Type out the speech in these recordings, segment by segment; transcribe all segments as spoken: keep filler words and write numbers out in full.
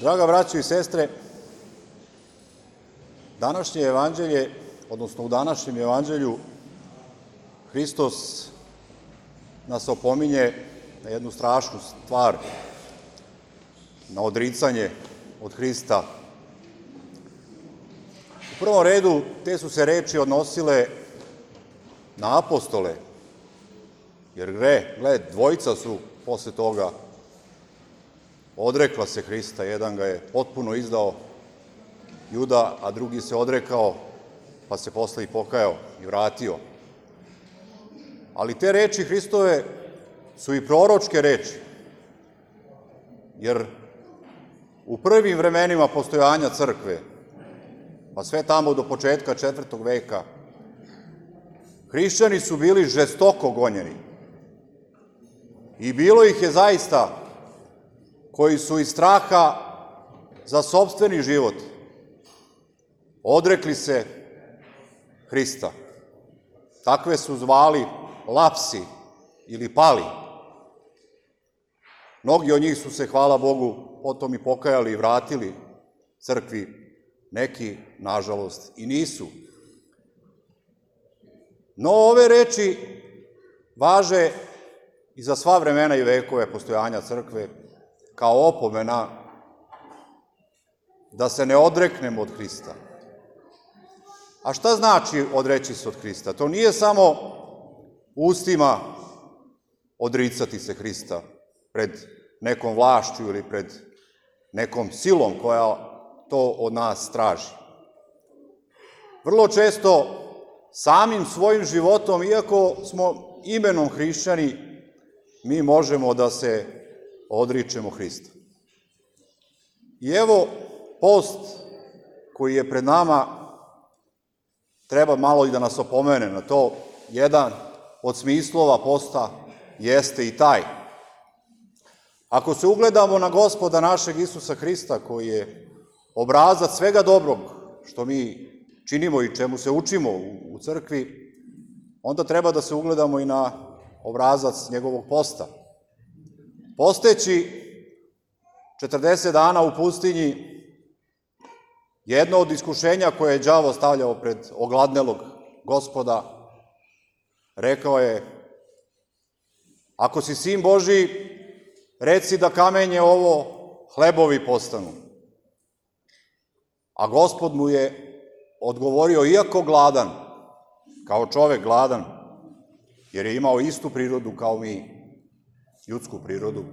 Draga braćo i sestre, današnje evanđelje, odnosno u današnjem evanđelju, Hristos nas opominje na jednu strašnu stvar, na odricanje od Hrista. U prvom redu, te su se reči odnosile na apostole, jer gre, gled, dvojica su posle toga odrekla se Hrista, jedan ga je potpuno izdao, Juda, a drugi se odrekao, pa se posle i pokajao i vratio. Ali te reči Hristove su i proročke reči, jer u prvim vremenima postojanja crkve, pa sve tamo do početka četvrtog veka, hrišćani su bili žestoko gonjeni. I bilo ih je zaista koji su iz straha za sopstveni život odrekli se Hrista. Takve su zvali lapsi ili pali. Mnogi od njih su se, hvala Bogu, potom i pokajali i vratili crkvi, neki, nažalost, i nisu. No, ove reči važe i za sva vremena i vekove postojanja crkve, kao opomena da se ne odreknemo od Hrista. A šta znači odreći se od Hrista? To nije samo ustima odricati se Hrista pred nekom vlašću ili pred nekom silom koja to od nas traži. Vrlo često samim svojim životom, iako smo imenom hrišćani, mi možemo da se odričemo Hrista. I evo, post koji je pred nama treba malo i da nas opomene na to. Jedan od smislova posta jeste i taj. Ako se ugledamo na Gospoda našeg Isusa Hrista, koji je obrazac svega dobrog što mi činimo i čemu se učimo u crkvi, onda treba da se ugledamo i na obrazac njegovog posta. Posteći četrdeset dana u pustinji, jedno od iskušenja koje je đavo stavljao pred ogladnelog Gospoda, rekao je: ako si sin Božiji, reci da kamenje ovo hlebovi postanu. A Gospod mu je odgovorio, iako gladan, kao čovek gladan, jer je imao istu prirodu kao mi, ljudsku prirodu,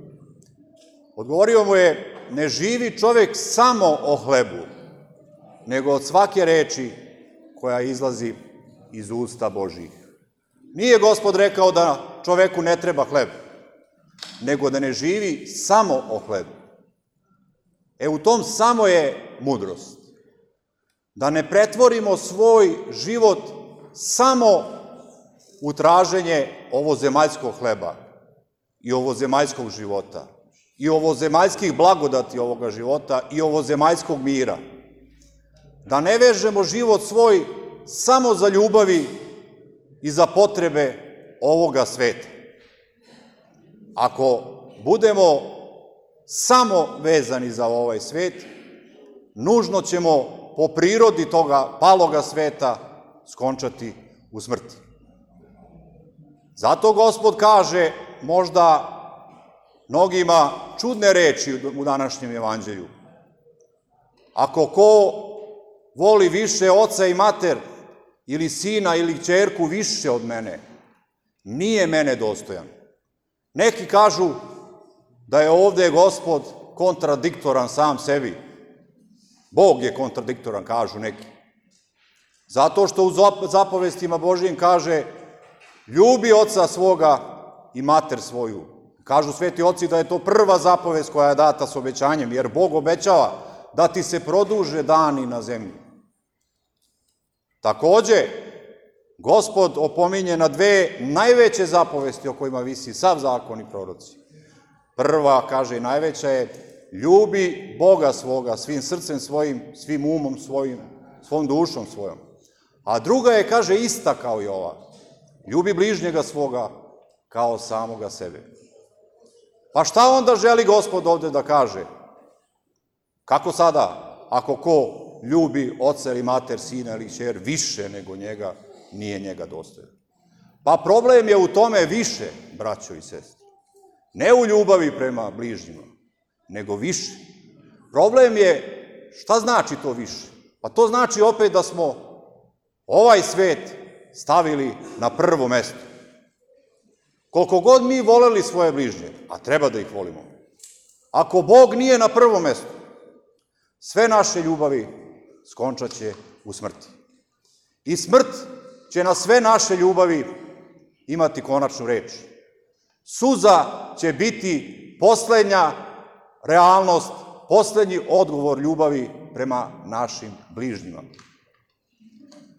odgovorio mu je: ne živi čovek samo o hlebu, nego od svake reči koja izlazi iz usta Božjih. Nije Gospod rekao da čoveku ne treba hleb, nego da ne živi samo o hlebu. E, u tom samo je mudrost. Da ne pretvorimo svoj život samo u traženje ovozemaljskog hleba i ovozemaljskog života i ovozemaljskih blagodati ovoga života i ovozemaljskog mira. Da ne vežemo život svoj samo za ljubavi i za potrebe ovoga sveta. Ako budemo samo vezani za ovaj svet, nužno ćemo po prirodi toga paloga sveta skončati u smrti. Zato Gospod kaže možda mnogima čudne reči u današnjem evanđelju. Ako ko voli više oca i mater, ili sina ili ćerku više od mene, nije mene dostojan. Neki kažu da je ovde Gospod kontradiktoran sam sebi. Bog je kontradiktoran, kažu neki. Zato što u zapovestima Božijim kaže: ljubi oca svoga i mater svoju. Kažu sveti oci da je to prva zapovest koja je data s obećanjem, jer Bog obećava da ti se produže dani na zemlji. Takođe, Gospod opominje na dve najveće zapovesti o kojima visi sav zakon i proroci. Prva, kaže, i najveća je: ljubi Boga svoga svim srcem svojim, svim umom svojim, svom dušom svojom. A druga je, kaže, ista kao i ova: ljubi bližnjega svoga kao samoga sebe. Pa šta onda želi Gospod ovde da kaže? Kako sada, ako ko ljubi oca ili mater, sina ili kćer više nego njega, nije njega dostojan? Pa problem je u tome više, braćo i sestre. Ne u ljubavi prema bližnjima, nego više. Problem je, šta znači to više? Pa to znači opet da smo ovaj svet stavili na prvo mesto. Koliko god mi voleli svoje bližnje, a treba da ih volimo, ako Bog nije na prvom mestu, sve naše ljubavi skončat će u smrti. I smrt će na sve naše ljubavi imati konačnu reč. Suza će biti poslednja realnost, poslednji odgovor ljubavi prema našim bližnjima.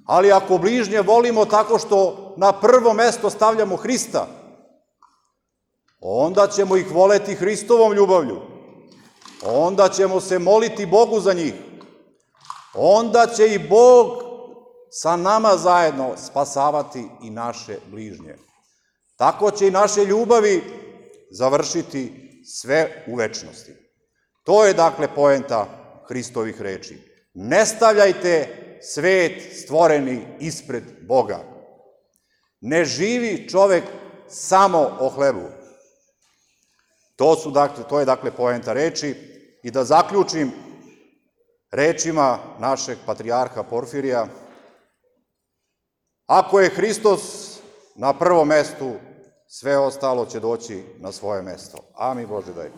Ali ako bližnje volimo tako što na prvo mesto stavljamo Hrista, onda ćemo ih voleti Hristovom ljubavlju. Onda ćemo se moliti Bogu za njih. Onda će i Bog sa nama zajedno spasavati i naše bližnje. Tako će i naše ljubavi završiti sve u večnosti. To je dakle poenta Hristovih reči. Ne stavljajte svet stvoreni ispred Boga. Ne živi čovek samo o hlebu. To, su, dakle, to je dakle poenta reči. I da zaključim rečima našeg patrijarha Porfirija, ako je Hristos na prvom mestu, sve ostalo će doći na svoje mesto. Amin Bože daj.